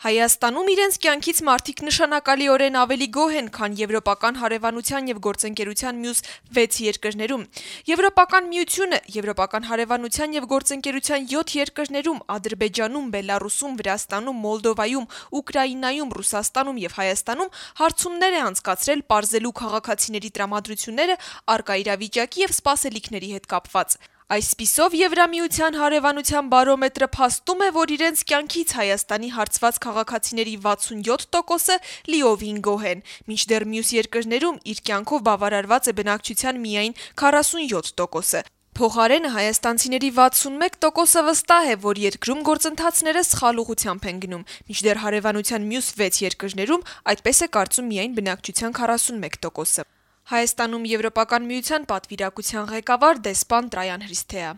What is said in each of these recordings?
Հայաստանում իրենց կյանքից մարդիկ նշանակալիորեն ավելի գոհ են, քան Եվրոպական հարևանության եւ գործընկերության մյուս 6 երկրներում։ Եվրոպական միությունը Եվրոպական հարևանության եւ գործընկերության 7 երկրներում՝ Ադրբեջանում, Բելարուսում, Վրաստանում, Մոլդովայում, Ուկրաինայում, Ռուսաստանում եւ Հայաստանում հարցումներ է անցկացրել պարզելու քաղաքացիների տրամադրությունները առկա իրավիճակի եւ սպասելիքների հետ կապված։ Այսպիսով Եվրամիության հարևանության բարոմետրը փաստում է, որ իրենց կյանքից Հայաստանի հարցված քաղաքացիների 67%-ը լիովին գոհ են, մինչդեռ մյուս երկրներում իր կյանքով բավարարված է բնակչության միայն 47%-ը։ Փոխարենը հայաստանցիների 61%-ը վստահ է, որ երկրում գործընթացները սխալ ուղղությամբ են գնում, մինչդեռ հարևանության մյուս 6 երկրներում այդպես է կարծում միայն բնակչության 41%-ը։ Հայաստանում Եվրոպական միության պատվիրակության ղեկավար դեսպան Տրայան Հրիսթեա.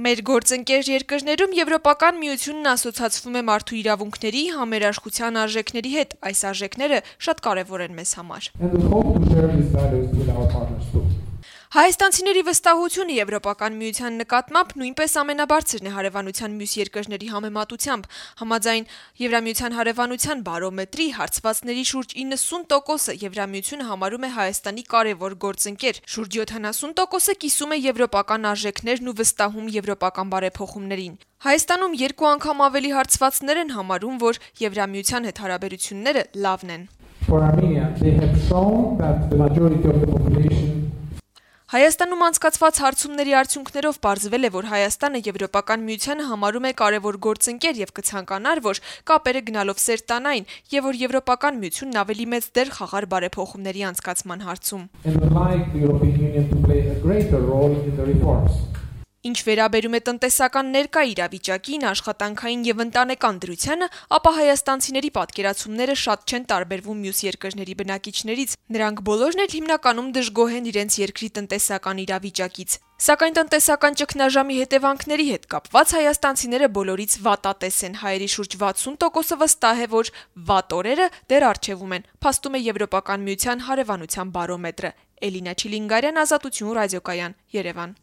Մեր գործընկեր երկրներում Եվրոպական միությունն ասոցացվում է մարդու իրավունքների, համերաշխության արժեքների հետ, այս արժեքները շատ կարևոր են մեզ համար։ Հայաստանցիների վստահությունը Եվրոպական միության նկատմամբ նույնպես ամենաբարձրն է հարևանության մյուս երկրների համեմատությամբ։ Համաձայն Եվրամիության հարևանության բարոմետրի հարցվածների շուրջ 90%-ը Եվրամիությունը համարում է Հայաստանի կարևոր գործընկեր, շուրջ 70%-ը կիսում է եվրոպական արժեքներն ու վստահում եվրոպական բարեփոխումներին։ Հայաստանում 2 անգամ ավելի հարցվածներ են համարում, որ Եվրամիության հետ հարաբերությունները լավն են։ Հայաստանում անցկացված հարցումների արդյունքներով պարզվել է, որ Հայաստանը Եվրոպական միությանը համարում է կարևոր գործընկեր եւ կցանկանար, որ կապերը գնալով սերտանային եւ որ Եվրոպական միությունն ավելի մեծ դեր խաղար բարեփոխումների անցկացման հարցում։ Ինչ վերաբերում է տնտեսական ներկա իրավիճակին, աշխատանքային եւ ընտանեկան դրությանը, ապա հայաստանցիների պատկերացումները շատ չեն տարբերվում մյուս երկրների բնակիչներից։ Նրանք բոլորն էլ հիմնականում դժգոհ են իրենց երկրի տնտեսական իրավիճակից։ Սակայն տնտեսական ճգնաժամի հետևանքների հետ կապված հայաստանցիները բոլորից վատատես են։ Հայերի շուրջ 60%-ը վստահ է, որ վատ օրերը դեռ առջևում են, փաստում է Եվրոպական միության հարևանության բարոմետրը։ Էլինա Չիլինգարյան, Ազատություն ռադիոկայան, Երևան։